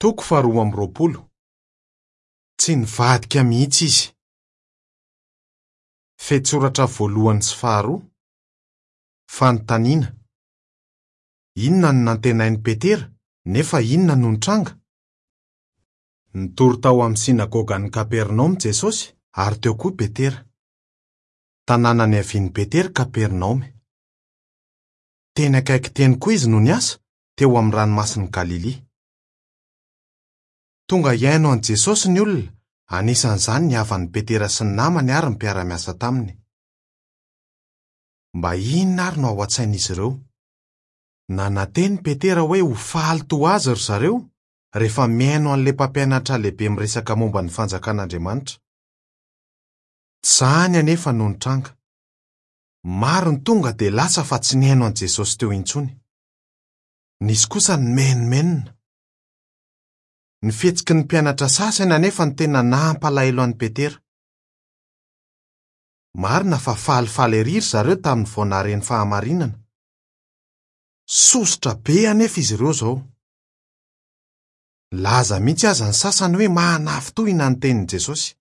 Toko faharoa amby roapolo. Tsy nivadika mihitsy izy. Fehintsoratra voalohany sy faharoa. Fanontaniana. Inona no nantenain'i Petera, nefa inona no nitranga? Nitory tao amin'ny synagogan'i Kapernaomy Jesosy, ary teo koa Petera. Tanàna niavian'i Petera Kapernaomy. Teny akaiky teny koa izy no niasa, teo amin'ny Ranomasin'i Galilia. Tonga hihaino an'i Jesosy ny olona, anisan'izany ny havan'i Petera sy ny namany ary ny mpiara-miasa taminy. Mba inona àry no ao an-tsain'izy ireo? Nanantena i Petera hoe ho faly toa azy ry zareo rehefa mihaino an'ilay Mpampianatra Lehibe miresaka momba ny Fanjakan'Andriamanitra. Tsy izany anefa no nitranga. Maro ny tonga dia lasa fa tsy nihaino an'i Jesosy teo intsony. Nisy kosa nimenomenona. Ny fihetsiky ny mpianatra sasany anefa no tena nampalahelo an'i Petera. Marina fa falifaly erỳ ry zareo tamin'ny vao nahare ny fahamarinana. Sosotra be anefa izy ireo izao. Nilaza mihitsy aza ny sasany hoe manafintohina ny tenin'i Jesosy.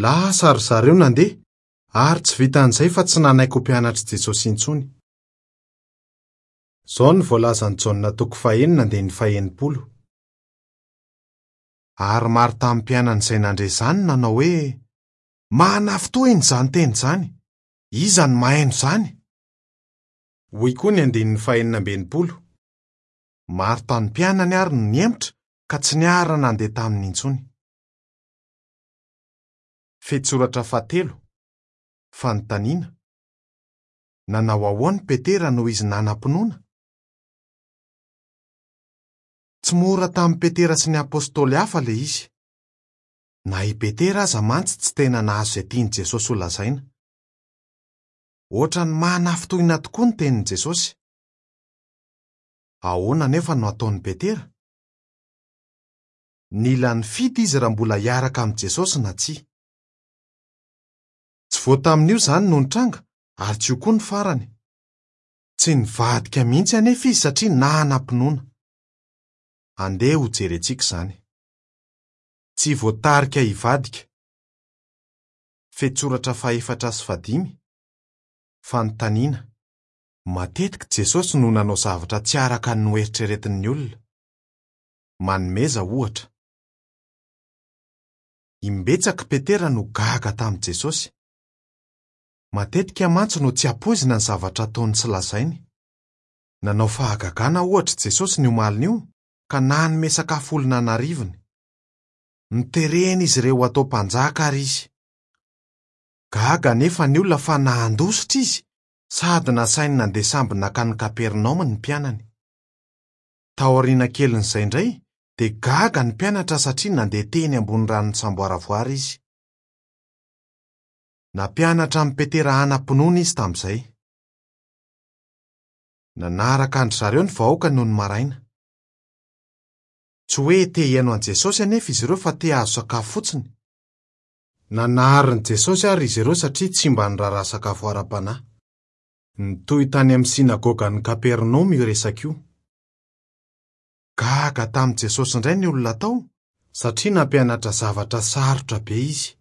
Lasa ry zareo nandeha, ary tsy vitan'izay fa tsy nanaiky ho mpianatr'i Jesosy intsony. Izao no voalazan'i Jaona toko fahenina andininy fahenipolo. Ary maro tamin'ny mpianany izay nandre izany no nanao hoe, Manafintohina izany teny izany! Iza no mahaino izany? Hoy koa ny andininy fahenina amby enimpolo. Maro tamin'ny mpianany àry no nihemotra ka tsy niara-nandeha taminy intsony. Fehintsoratra fahatelo, Fanontaniana, Nanao ahoana i Petera noho izy nanam-pinoana? Tsy mora tamin'i Petera sy ny apostoly hafa ilay izy. Na i Petera aza mantsy tsy tena nahazo izay tian'i Jesosy holazaina. Hoatran'ny manafintohina tokoa ny tenin'i Jesosy. Ahoana anefa no hataon'i Petera? Nila nifidy izy raha mbola hiaraka amin'i Jesosy na tsia. Tsy vao tamin'io izany no nitranga ary tsy io koa ny farany. Tsy nivadika mihitsy anefa izy satria nanam-pinoana. Andeha hojerentsika izany. Tsy voatarika hivadika. Fehintsoratra fahefatra sy fahadimy. Fanontaniana. Matetika Jesosy no nanao zavatra tsy araka ny noeritreretin'ny olona. Manomeza ohatra. Imbetsaka i Petera no gaga tamin'i Jesosy. Matetika mantsy no tsy ampoizina ny zavatra ataony sy lazainy. Nanao fahagagana, ohatra, i Jesosy ny omalin'io, ka nanome sakafo olona an'arivony. Noteren'izy ireo hatao mpanjaka àry izy. Gaga anefa ny olona fa nandositra izy, sady nasainy nandeha sambo nankany Kapernaomy ny mpianany. Taoriana kelin'izay indray, dia gaga ny mpianatra satria nandeha teny ambony rano nisamboaravoara izy. Nampianatra an'i Petera hanam-pinoana izy tamin'izay. Nanaraka an-dry zareo ny vahoaka nony maraina. Tsy hoe te hihaino an'i Jesosy anefa izy ireo fa te hahazo sakafo fotsiny. Nanarin'i Jesosy àry izy ireo satria tsy mba niraharaha sakafo ara-panahy. Nitohy tany amin'ny synagogan'i Kapernaomy io resaka io. Gaga tamin'i Jesosy indray ny olona tao satria nampianatra zavatra sarotra be izy.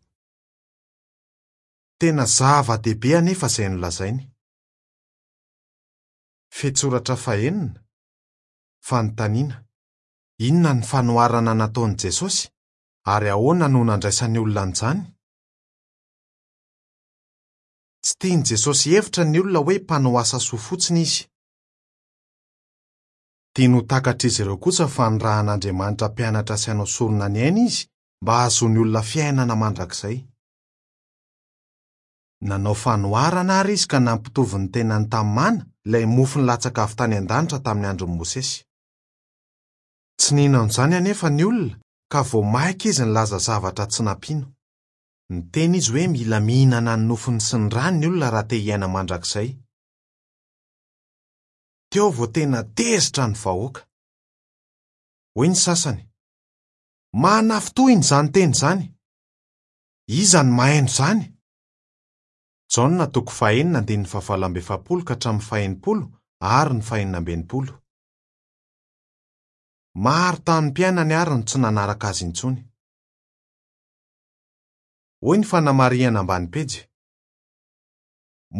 Tena zava-dehibe anefa izay nolazainy. Fehintsoratra fahenina, Fanontaniana, Inona ny fanoharana nataon'i Jesosy, ary ahoana no nandraisan'ny olona an'izany? Tsy tian'i Jesosy hihevitra ny olona hoe mpanao asa soa fotsiny izy. Tiany ho takatr'izy ireo kosa fa nirahan'Andriamanitra hampianatra sy hanao sorona ny ainy izy mba hahazoan'ny olona fiainana mandrakizay. Nanao fanoharana àry izy ka nampitovy ny tenany tamin'ny mana, ilay mofo nilatsaka avy tany an-danitra tamin'ny andron'i Mosesy. Tsy nino an'izany anefa ny olona, ka vao mainka izy nilaza zavatra tsy nampino. Niteny izy hoe mila mihinana ny nofony sy ny rany ny olona raha te hiaina mandrakizay. Teo vao tena tezitra ny vahoaka. Hoy ny sasany, Manafintohina izany teny izany! Iza no mahaino izany? Jaona toko fahenina andininy fahavalo amby efapolo ka hatramin'ny fahaenimpolo ary ny fahenina amby enimpolo. Maro tamin'ny mpianany àry no tsy nanaraka azy intsony. Hoy ny fanamarihana ambany pejy,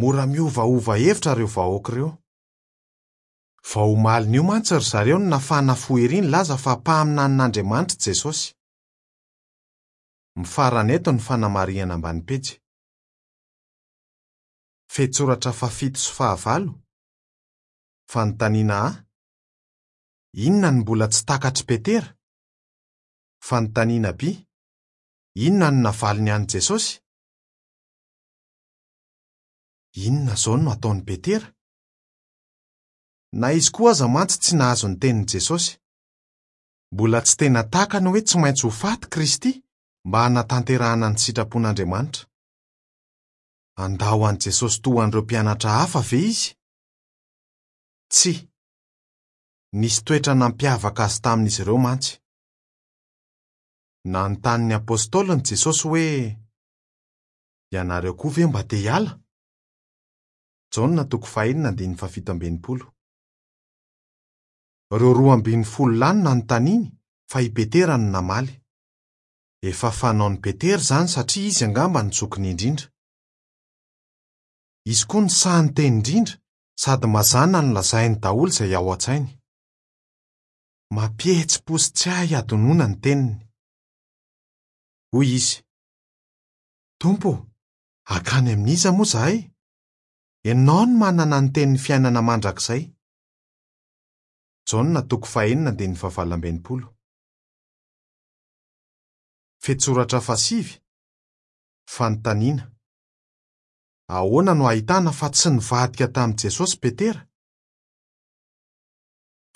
Mora miovaova hevitra ireo vahoaka ireo. Vao omalin'io mantsy ry zareo no nafana fo ery nilaza fa mpaminanin'Andriamanitra i Jesosy. Mifarana eto ny fanamarihana ambany pejy. Fehintsoratra fahafito sy fahavalo, Fanontaniana A, Inona no mbola tsy takatr'i Petera? Fanontaniana B, Inona no navaliny an'i Jesosy? Inona izao no hataon'i Petera? Na izy koa aza mantsy tsy nahazo ny tenin'i Jesosy. Mbola tsy tena takany hoe tsy maintsy ho faty Kristy mba hanatanterahana ny sitrapon'Andriamanitra. Handao an'i Jesosy toa an'ireo mpianatra hafa ve izy? Tsia. Nisy toetra nampiavaka azy tamin'izy ireo mantsy. Nanontany ny apostoliny Jesosy hoe, Ianareo koa ve mba te hiala? Jaona toko fahenina andininy fahafito ambin'ny folo. Ireo 12 lahy no nanontaniany fa i Petera no namaly. Efa fanaon'i Petera izany satria izy angamba no zokiny indrindra. Izy koa no sahy niteny indrindra sady mazàna no lazainy daholo izay ao an-tsainy. Mampihetsi-po sy tsy hay hadinoina ny teniny. Hoy izy, Tompo ô, hankany amin'iza moa izahay? Ianao no manana ny tenin'ny fiainana mandrakizay. Jaona toko fahenina andininy fahavalo amby enimpolo. Fehintsoratra fahasivy, Fanontaniana, Ahoana no ahitana fa tsy nivadika tamin'i Jesosy Petera?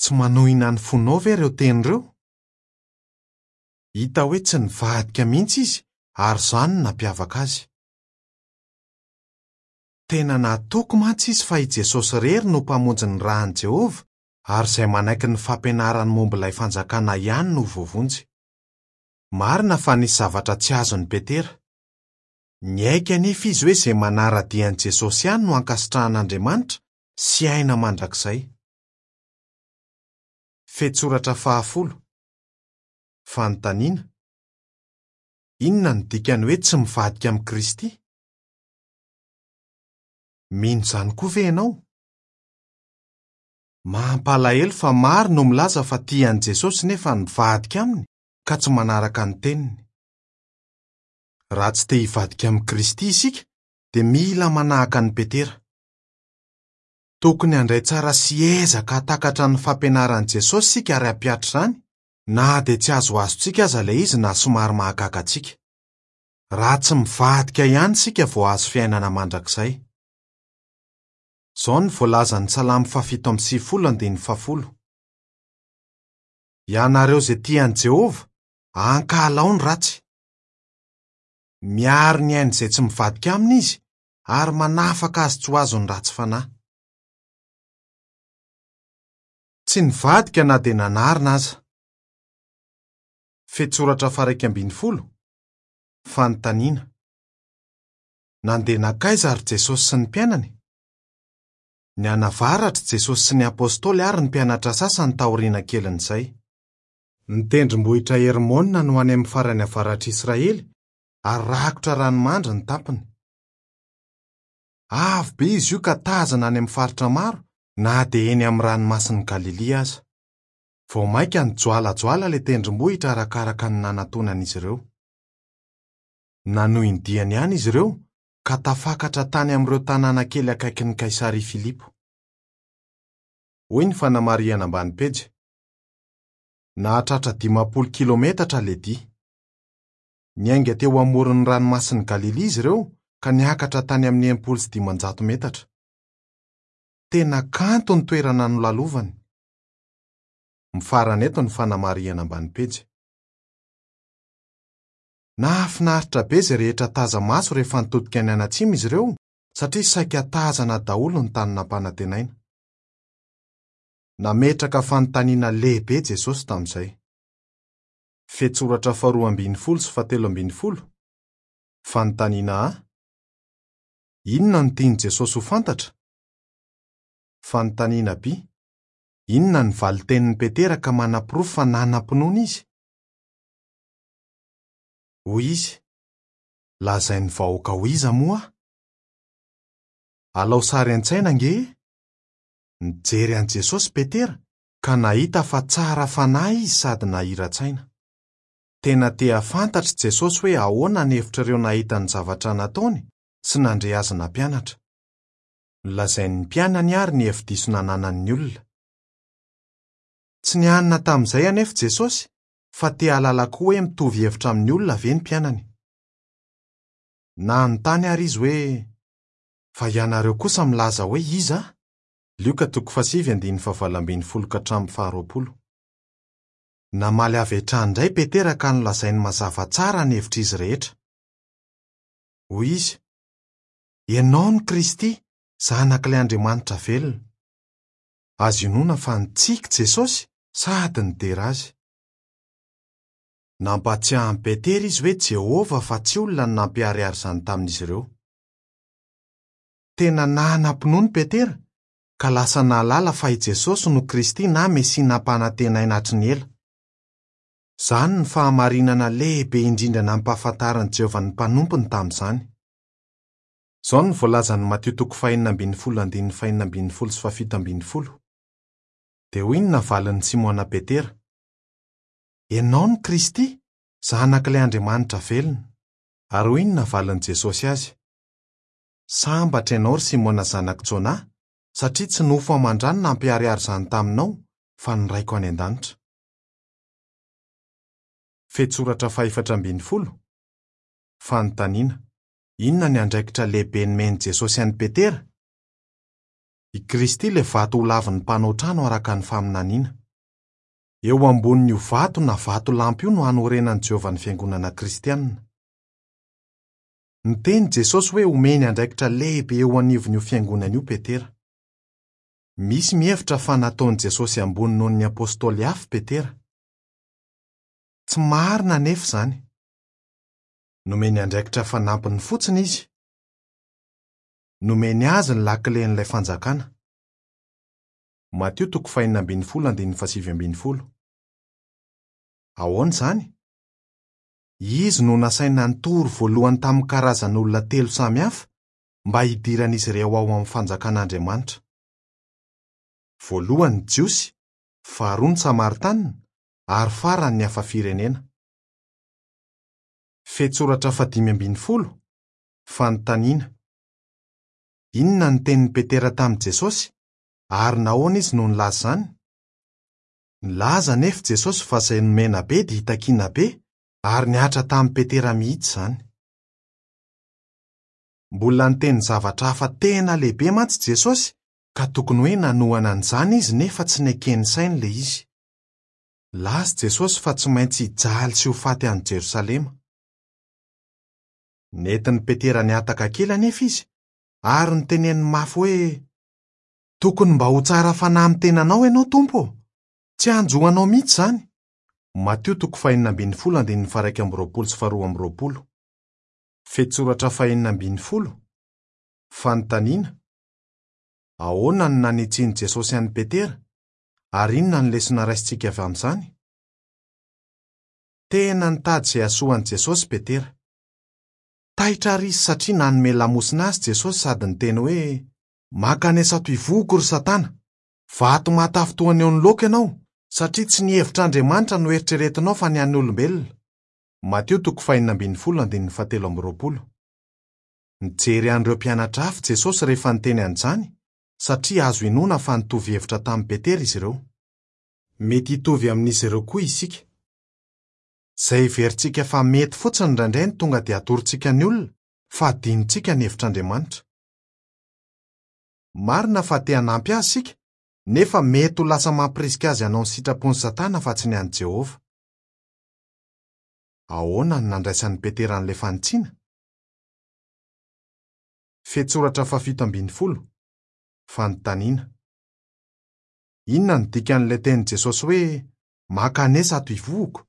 Tsy manohina ny fonao ve ireo teny ireo? Hita hoe tsy nivadika mihitsy izy ary izany no nampiavaka azy. Tena natoky mantsy izy fa i Jesosy irery no Mpamonjy nirahin'i Jehovah ary izay manaiky ny fampianarany momba ilay Fanjakana ihany no ho voavonjy. Marina fa nisy zavatra tsy azon'i Petera. Niaiky anefa izy hoe izay manara-dia an'i Jesosy ihany no ankasitrahan'Andriamanitra sy aina mandrakizay. Fehintsoratra fahafolo. Fanontaniana, Inona no dikan'ny hoe tsy mivadika amin'i Kristy? Mino izany koa ve ianao? Mampalahelo fa maro no milaza fa tia an'i Jesosy nefa nivadika aminy ka tsy manaraka ny teniny. Raha tsy te hivadika amin'i Kristy isika dia mila manahaka an'i Petera. Tokony handray tsara sy hiezaka hahatakatra ny fampianaran'i Jesosy isika ary hampihatra izany, na dia tsy azoazontsika aza ilay izy na somary mahagaga antsika. Raha tsy mivadika ihany isika vao hahazo fiainana mandrakizay. Izao no voalazan'ny Salamo fahafito amby sivifolo andininy fahafolo, Ianareo izay tia an'i Jehovah, ankahalao ny ratsy. Miaro ny ain'izay tsy mivadika aminy izy, ary manafaka azy tsy ho azon'ny ratsy fanahy. Tsy nivadika na dia nanarina aza. Fehintsoratra faha-11, Fanontaniana, Nandeha nankaiza àry Jesosy sy ny mpianany? Nianavaratra i Jesosy sy ny apostoly ary ny mpianatra sasany taoriana kelin'izay. Ny tendrombohitra Hermona no any amin'ny farany avaratr'i Israely ary rakotra ranomandry ny tampony. Avo be izy io ka tazana any amin'ny faritra maro na dia eny amin'ny Ranomasin'i Galilia aza. Vao mainka nijoalajoala ilay tendrombohitra arakaraka ny nanatonan'izy ireo. Nanohy ny diany ihany izy ireo ka tafakatra tany amin'ireo tanàna kely akaikin'i Kaisaria Filipo. Hoy ny fanamarihana ambany pejy, Nahatratra 50 kilometatra ilay dia. Niainga teo amoron'ny Ranomasin'i Galilia izy ireo ka niakatra tany amin'ny 560 metatra. Tena kanto ny toerana nolalovany. Mifarana eto ny fanamarihana ambany pejy. Nahafinaritra be izay rehetra taza-maso rehefa nitodika nianatsimo izy ireo satria saika tazana daholo ny tany nampanantenaina. Nametraka fanontaniana lehibe Jesosy tamin'izay. Fehintsoratra faharoa ambin'ny folo sy fahatelo ambin'ny folo, Fanontaniana A, Inona no tian'i Jesosy ho fantatra? Fanontaniana B, Inona ny valin-tenin'i Petera ka manaporofo fa nanam-pinoana izy? Hoy izy, Lazain'ny vahoaka ho iza moa aho? Alao sary an-tsaina ange e! Nijery an'i Jesosy Petera ka nahita fa tsara fanahy izy sady nahira-tsaina. Tena te hahafantatr'i Jesosy hoe ahoana ny hevitr'ireo nahita ny zavatra nataony sy nandre azy nampianatra. Nolazain'ny mpianany àry ny hevi-diso nananan'ny olona. Tsy nianina tamin'izay anefa Jesosy fa te hahalala koa hoe mitovy hevitra amin'ny olona ve ny mpianany. Nanontany àry izy hoe, Fa ianareo kosa milaza hoe iza aho? Lioka toko fahasivy andininy fahavalo ambin'ny folo ka hatramin'ny faharoapolo. Namaly avy hatrany indray Petera ka nolazainy mazava tsara ny hevitr'izy rehetra. Hoy izy, Ianao no Kristy, Zanak'ilay Andriamanitra velona. Azo inoana fa nitsiky Jesosy sady nidera azy. Nampahatsiahy an'i Petera izy hoe Jehovah fa tsy olona no nampiharihary izany tamin'izy ireo. Tena nanam-pinoana Petera ka lasa nahalala fa i Jesosy no Kristy na Mesia nampanantenaina hatry ny ela. Izany no fahamarinana lehibe indrindra nampahafantarin'i Jehovah ny mpanompony tamin'izany. Izao no voalazan'i Matio toko fahenina ambin'ny folo andininy fahenina ambin'ny folo sy fahafito ambin'ny folo. Dia hoy ny navalin'i Simona Petera, Ianao no Kristy, Zanak'ilay Andriamanitra velona. Ary hoy ny navalin'i Jesosy azy, Sambatra ianao, ry Simona zanak'i Jonà, satria tsy nofo aman-dra no nampiharihary izany taminao, fa ny Raiko any an-danitra. Fehintsoratra fahefatra ambin'ny folo, Fanontaniana, Inona ny andraikitra lehibe nomen'i Jesosy an'i Petera? I Kristy ilay vato holavin'ny mpanao trano araka ny faminaniana. Eo ambonin'io vato na vatolampy io no hanorenan'i Jehovah ny fiangonana kristianina. Niteny Jesosy hoe homeny andraikitra lehibe eo anivon'io fiangonana io Petera. Misy mihevitra fa nataon'i Jesosy ambony noho ny apostoly hafa Petera. Tsy marina anefa izany. Nomeny andraikitra fanampiny fotsiny izy. Nomeny azy ny lakilen'ilay fanjakana. Matio toko fahenina ambin'ny folo andininy fahasivy ambin'ny folo. Ahoana izany? Izy no nasaina nitory voalohany tamin'ny karazan'olona telo samy hafa mba hidiran'izy ireo ao amin'ny Fanjakan'Andriamanitra. Voalohany ny Jiosy, faharoa ny Samaritanina, ary farany ny hafa firenena. Fehintsoratra fahadimy ambin'ny folo, Fanontaniana, Inona no tenin'i Petera tamin'i Jesosy, ary nahoana izy no nilaza izany? Nilaza anefa Jesosy fa izay nomena be dia hitakiana be, ary nihatra tamin'i Petera mihitsy izany. Mbola niteny zavatra hafa tena lehibe mantsy Jesosy ka tokony hoe nanohana an'izany izy nefa tsy neken'ny sainy ilay izy. Nilaza Jesosy fa tsy maintsy hijaly sy ho faty any Jerosalema. Nentin'i Petera nihataka kely anefa izy ary noteneniny mafy hoe, Tokony mba ho tsara fanahy amin'ny tenanao ianao, Tompo ô! Tsy hanjo anao mihitsy izany. Matio toko fahenina ambin'ny folo andininy faha-iraika amby roapolo sy faharoa amby roapolo. Fehintsoratra fahenina ambin'ny folo, Fanontaniana, Ahoana no nanitsian'i Jesosy an'i Petera, ary inona no lesona raisintsika avy amin'izany? Tena nitady izay hahasoa an'i Jesosy Petera. Taitra àry izy satria nanome lamosina azy Jesosy sady niteny hoe, Mankanesa ato ivohoko, ry Satana! Vato mahatafintohina eo anoloako ianao, satria tsy ny hevitr'Andriamanitra no eritreretinao fa ny an'ny olombelona. Matio toko fahenina ambin'ny folo andininy fahatelo amby roapolo. Nijery an'ireo mpianatra hafa Jesosy rehefa niteny an'izany, satria azo inoana fa nitovy hevitra tamin'i Petera izy ireo. Mety hitovy amin'izy ireo koa isika. Izay heverintsika fa mety fotsiny indraindray no tonga dia atorontsika ny olona, fa adinontsika ny hevitr'Andriamanitra. Marina fa te hanampy azy isika, nefa mety ho lasa mampirisika azy hanao ny sitrapon'i Satana fa tsy ny an'i Jehovah. Ahoana no nandraisan'i Petera an'ilay fanitsiana? Fehintsoratra fahafito ambin'ny folo, Fanontaniana, Inona no dikan'ilay tenin'i Jesosy hoe mankanesa ato ivohoko?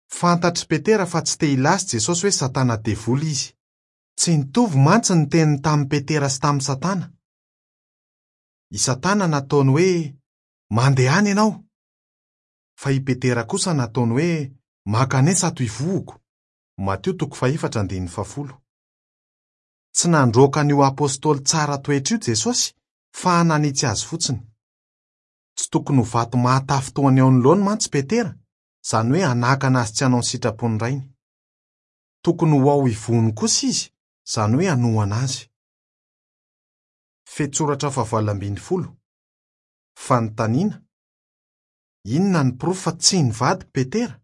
Fantatr'i Petera fa tsy te hilaza Jesosy hoe Satana Devoly izy. Tsy nitovy mantsy ny teniny tamin'i Petera sy tamin'i Satana. I Satana nataony hoe, Mandehana ianao! Fa i Petera kosa nataony hoe, Mankanesa ato ivohoko. Matio toko fahefatra andininy fahafolo. Tsy nandroaka an'io apostoly tsara toetra io Jesosy fa nanitsy azy fotsiny. Tsy tokony ho vato mahatafintohina eo anoloany mantsy Petera, izany hoe hanakana azy tsy hanao ny sitrapon'ny Rainy. Tokony ho ao ivohony kosa izy, izany hoe hanohana azy. Fehintsoratra fahavalo ambin'ny folo. Fanontaniana: Inona ny porofo fa tsy nivadika Petera?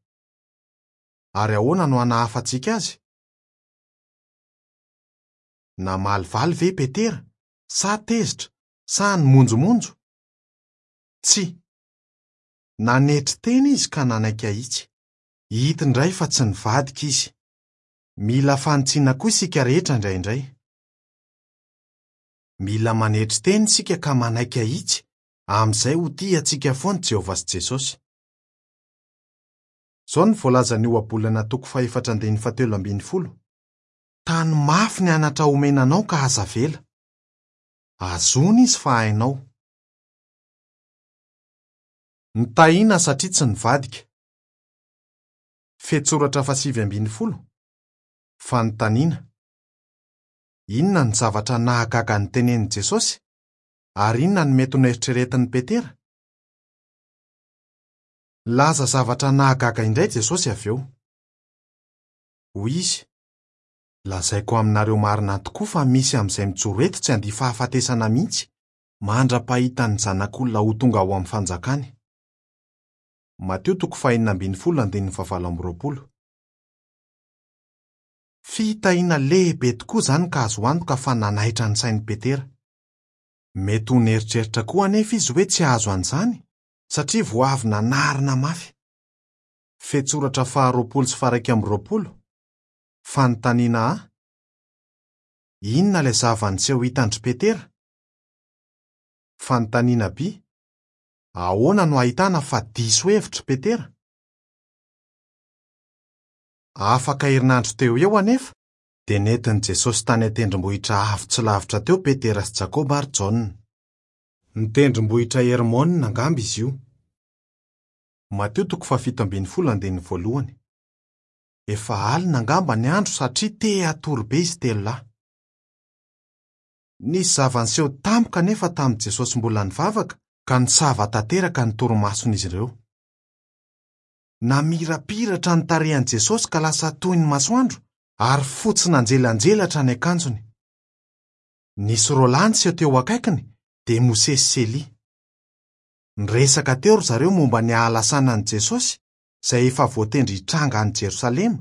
Ary ahoana no hanahafantsika azy? Namalivaly ve Petera sa tezitra sa nimonjomonjo? Tsia. Nanetry tena izy ka nanaiky ahitsy. Hita indray fa tsy nivadika izy. Mila fanitsiana koa isika rehetra indraindray. Mila manetry tena isika ka manaiky ahitsy, amin'izay ho tia antsika foana Jehovah sy Jesosy. Izao no voalazan'ny Ohabolana toko fahefatra andininy fahatelo ambin'ny folo: Tano mafy ny anatra omena anao ka aza avela. Hazòny izy fa hainao. Nitahiana satria tsy nivadika. Fehintsoratra fahasivy ambin'ny folo. Fanontaniana: Inona ny zavatra nahagaga notenenin'i Jesosy? Ary inona no mety ho noeritreretin'i Petera? Nilaza zavatra nahagaga indray Jesosy avy eo. Hoy izy: Lazaiko aminareo marina tokoa fa misy amin'izay mijoro eto tsy handia fahafatesana mihitsy mandra-pahitan'ny Zanak'olona ho tonga ao amin'ny fanjakany. Matio toko fahenina ambin'ny folo andininy fahavalo amby roapolo. Fitahiana lehibe tokoa izany ka azo antoka fa nanaitra ny sain'i Petera. Mety ho nieritreritra koa anefa izy hoe tsy hahazo an'izany satria vao avy nanarina mafy. Fehintsoratra faharoapolo sy faharaika amby roapolo. Fanontaniana A: Inona ilay zava-niseho hitan-dry Petera? Fanontaniana B: Ahoana no ahitana fa diso hevitra i Petera? Afaka herinandro teo ho eo anefa, dia nentin'i Jesosy tany an-tendrombohitra avo tsy lavitra teo Petera sy Jakoba ary Jaona. Ny tendrombohitra Hermona angamba izy io. Matio toko fahafito ambin'ny folo andininy voalohany. Efa alina angamba ny andro satria te hatory be izy telo lahy. Nisy zava-niseho tampoka anefa tamin'i Jesosy mbola nivavaka ka nisava tanteraka ny torimason'izy ireo. Namirapiratra ny tarehin'i Jesosy ka lasa toy ny masoandro ary fotsy nanjelanjelatra ny akanjony. Nisy roa lahy niseho teo akaikiny dia Mosesy sy Elia. Niresaka teo ry zareo momba ny hahalasanan'i Jesosy izay efa voatendry hitranga any Jerosalema,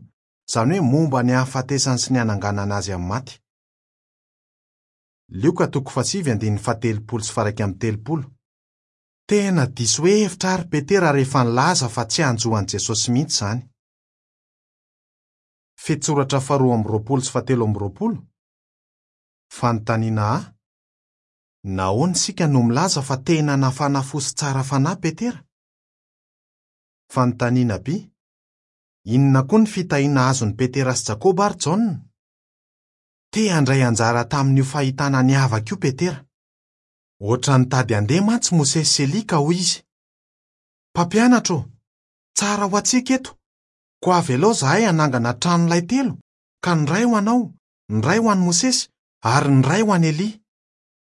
izany hoe momba ny hahafatesany sy ny hananganana azy amin'ny maty. Lioka toko fahasivy andininy fahatelopolo sy faharaika amby telopolo. Tena diso hevitra àry Petera rehefa nilaza fa tsy hanjo an'i Jesosy mihitsy izany. Fehintsoratra faharoa amby roapolo sy fahatelo amby roapolo. Fanontaniana A: Nahoana isika no milaza fa tena nafana fo sy tsara fanahy Petera? Fanontaniana B: Inona koa ny fitahiana azon'i Petera sy Jakoba ary Jaona? Te handray anjara tamin'io fahitana niavaka io Petera. Hoatran'ny nitady handeha mantsy Mosesy sy Elia ka hoy izy: Mpampianatra ô, tsara ho antsika eto, koa avelao izahay hanangana tranolay telo, ka ny iray ho anao, ny iray ho an'i Mosesy, ary ny iray ho an'i Elia.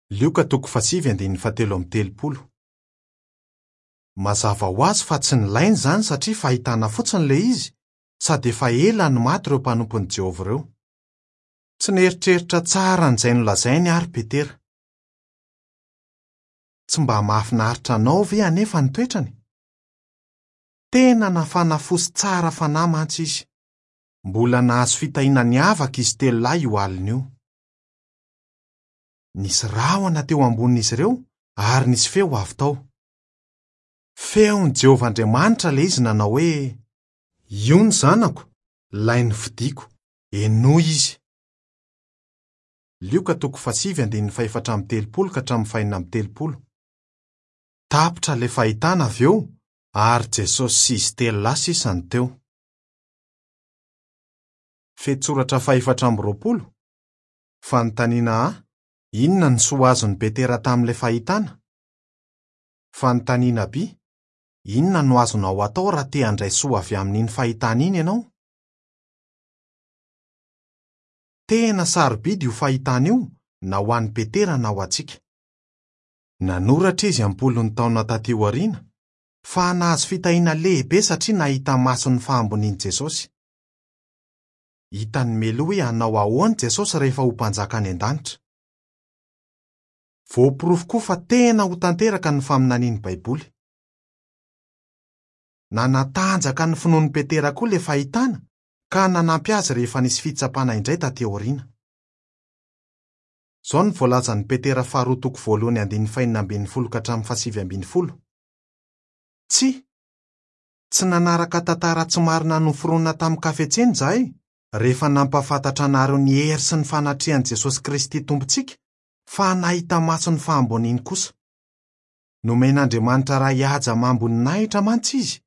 Lioka toko fahasivy andininy fahatelo amby telopolo. Mazava ho azy fa tsy nilaina izany satria fahitana fotsiny ilay izy, sady efa ela no maty ireo mpanompon'i Jehovah ireo. Tsy nieritreritra tsara an'izay nolazainy àry Petera. Tsy mba mahafinaritra anao ve anefa ny toetrany? Tena nafana fo sy tsara fanahy mantsy izy. Mbola nahazo fitahiana niavaka izy telo lahy io alina io. Nisy rahona teo ambonin'izy ireo ary nisy feo avy tao. Feon'i Jehovah Andriamanitra ilay izy nanao hoe: Io ny Zanako, ilay nofidiko. Henoy izy. Lioka toko fahasivy andininy fahefatra amby telopolo ka hatramin'ny fahenina amby telopolo. Tapitra ilay fahitana avy eo ary Jesosy sy izy telo lahy sisa no teo. Fehintsoratra fahefatra amby roapolo. Fanontaniana A: Inona ny soa azon'i Petera tamin'ilay fahitana? Fanontaniana B, Inona no azonao atao raha te handray soa avy amin'iny fahitana iny ianao? Tena sarobidy io fahitana io na ho an'i Petera na ho antsika. Nanoratra izy am-polony taona tatỳ aoriana fa nahazo fitahiana lehibe satria nahita maso ny fahambonian'i Jesosy. Hitany mialoha hoe hanao ahoana Jesosy rehefa ho Mpanjaka any an-danitra. Voaporofo koa fa tena ho tanteraka ny faminanian'ny Baiboly. Nanatanjaka ny finoan'i Petera koa ilay fahitana ka nanampy azy rehefa nisy fitsapana indray tatỳ aoriana. Izao no voalazan'i Petera faharoa toko voalohany andininy fahenina ambin'ny folo ka hatramin'ny fahasivy ambin'ny folo, Tsia, tsy nanaraka tantara tsy marina noforonina tamin-kafetsena izahay rehefa nampahafantatra anareo ny hery sy ny fanatrehan'i Jesosy Kristy Tompontsika, fa nahita maso ny fahamboniany kosa. Nomen'Andriamanitra Ray haja amam-boninahitra mantsy izy,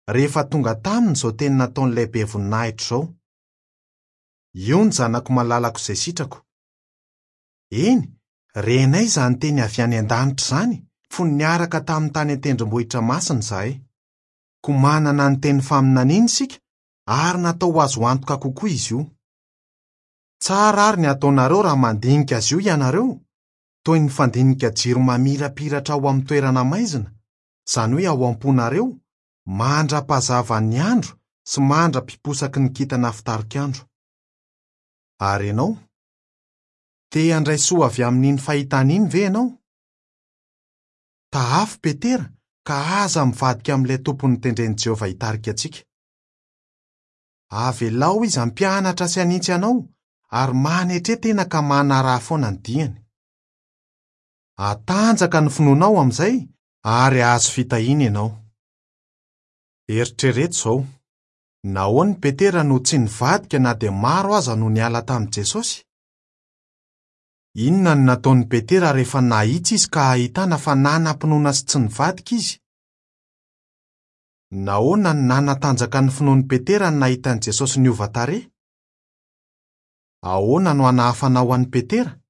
rehefa tonga taminy izao teny nataon'ilay be voninahitra izao, Io ny Zanako malalako izay sitrako. Eny, renay izany teny avy any an-danitra izany fony niaraka taminy tany an-tendrombohitra masina izahay. Koa manana ny teny faminaniana isika ary natao ho azo antoka kokoa izy io. Tsara àry ny hataonareo raha mandinika azy io ianareo, toy ny fandinika jiro mamirapiratra ao amin'ny toerana maizina, izany hoe ao am-ponareo, mandra-pahazavan'ny andro sy mandra-piposaky ny kintana fitarik'andro. Ary ianao? Te handray soa avy amin'iny fahitana iny ve ianao? Tahafo Petera ka aza mivadika amin'ilay Tompo notendren'i Jehovah hitarika antsika. Avelao izy hampianatra sy hanitsy anao ary manetre tena ka manaraha foana ny diany. Hatanjaka ny finoanao amin'izay ary hahazo fitahiana ianao. Eritrereto izao, Nahoana i Petera no tsy nivadika na dia maro aza no niala tamin'i Jesosy? Inona no nataon'i Petera rehefa nahitsy izy ka ahitana fa nanam-pinoana sy tsy nivadika izy? Nahoana no nanatanjaka ny finoan'i Petera ny nahita an'i Jesosy niova tarehy? Ahoana no hanahafanao an'i Petera?